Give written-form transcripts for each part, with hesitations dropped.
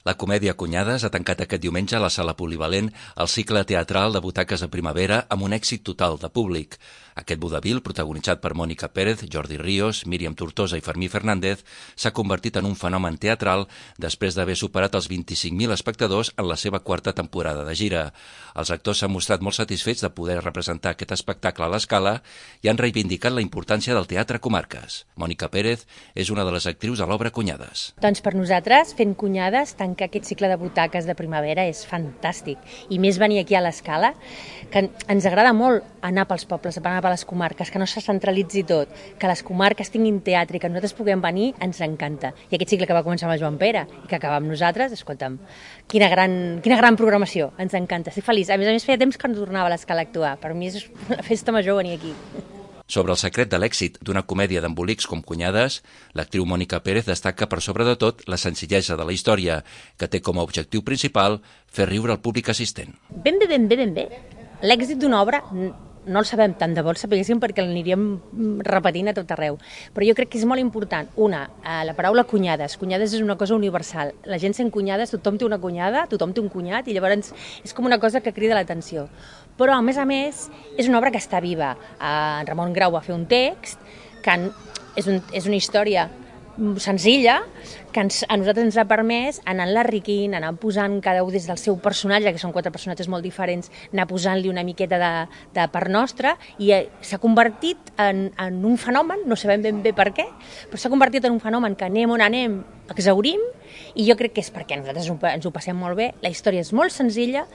La comèdia Cunyades ha tancat aquest diumenge a la sala polivalent el cicle teatral de butaques de primavera amb un èxit total de públic. Aquest vodevil, protagonitzat per Mònica Pérez, Jordi Ríos, Míriam Tortosa i Fermí Fernández, s'ha convertit en un fenomen teatral després d'haver superat els 25.000 espectadors en la seva quarta temporada de gira. Els actors s'han mostrat molt satisfets de poder representar aquest espectacle a l'escala i han reivindicat la importància del teatre a comarques. Mònica Pérez és una de les actrius de l'obra Cunyades. Doncs per nosaltres, fent Cunyades, tancar aquest cicle de butaques de primavera és fantàstic. I més venir aquí a l'escala, que ens agrada molt anar pels pobles, anar per les comarques, que no se centralitzi tot, que les comarques tinguin teatre i que nosaltres puguem venir, ens encanta. I aquest cicle que va començar amb el Joan Pere i que acaba amb nosaltres, escolta'm, quina gran programació, ens encanta, estic feliç. A més, feia temps que no tornava a l'escala a actuar. Per mi és una festa major venir aquí. Sobre el secret de l'èxit d'una comèdia d'embolics com Cunyades, l'actriu Mònica Pérez destaca per sobre de tot la senzillesa de la història, que té com a objectiu principal fer riure el públic assistent. Ben bé. L'èxit d'una obra no el sabem, tant de bo el sapiguéssim perquè l'aniríem repetint a tot arreu. Però jo crec que és molt important. La paraula cunyades. Cunyades és una cosa universal. La gent sent cunyades, tothom té una cunyada, tothom té un cunyat, i llavors és com una cosa que crida l'atenció. Però, a més, és una obra que està viva. En Ramon Grau va fer un text que és una història senzilla, que a nosaltres ens ha permès anar enriquint, anar posant cada un des del seu personatge, que són 4 personatges molt diferents, anar posant-li una miqueta de part nostra, i s'ha convertit en un fenomen, no sabem ben bé per què, però s'ha convertit en un fenomen que anem on anem, exhaurim, i jo crec que és perquè nosaltres ens ho passem molt bé, la història és molt senzilla,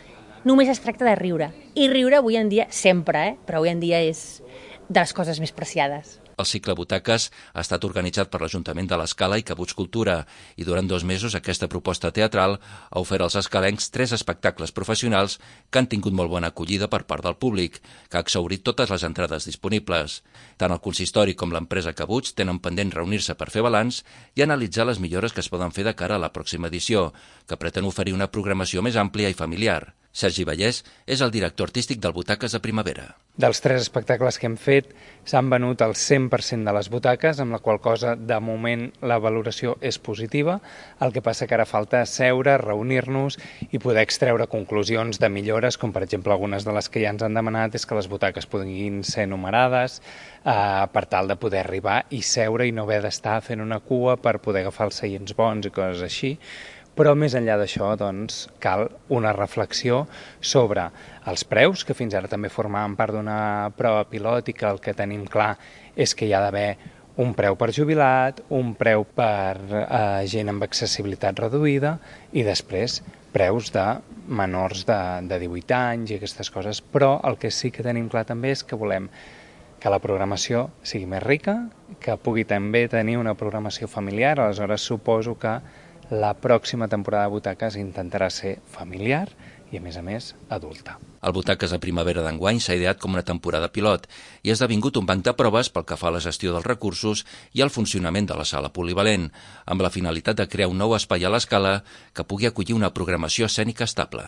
només es tracta de riure. I riure avui en dia, sempre, però avui en dia és de les coses més preciades. El cicle Butaques ha estat organitzat per l'Ajuntament de l'Escala i Cabuts Cultura i durant 2 mesos aquesta proposta teatral ha ofert als escalencs 3 espectacles professionals que han tingut molt bona acollida per part del públic, que ha exhaurit totes les entrades disponibles. Tant el consistori com l'empresa Cabuts tenen pendent reunir-se per fer balanç i analitzar les millores que es poden fer de cara a la pròxima edició, que pretén oferir una programació més àmplia i familiar. Sergi Vallès és el director artístic del Butaques de Primavera. Dels 3 espectacles que hem fet s'han venut el 100% de les butaques, amb la qual cosa de moment la valoració és positiva. El que passa que ara falta seure, reunir-nos i poder extreure conclusions de millores, com per exemple algunes de les que ja ens han demanat és que les butaques puguin ser numerades per tal de poder arribar i seure i no haver d'estar fent una cua per poder agafar els seients bons i coses així. Però més enllà d'això, doncs, cal una reflexió sobre els preus, que fins ara també formaven part d'una prova pilot i que el que tenim clar és que hi ha d'haver un preu per jubilat, un preu per gent amb accessibilitat reduïda i després preus de menors de 18 anys i aquestes coses. Però el que sí que tenim clar també és que volem que la programació sigui més rica, que pugui també tenir una programació familiar. Aleshores suposo que la pròxima temporada de Butaques intentarà ser familiar i, a més, adulta. El Butaques de Primavera d'enguany s'ha ideat com una temporada pilot i ha esdevingut un banc de proves pel que fa a la gestió dels recursos i al funcionament de la sala polivalent, amb la finalitat de crear un nou espai a l'escala que pugui acollir una programació escènica estable.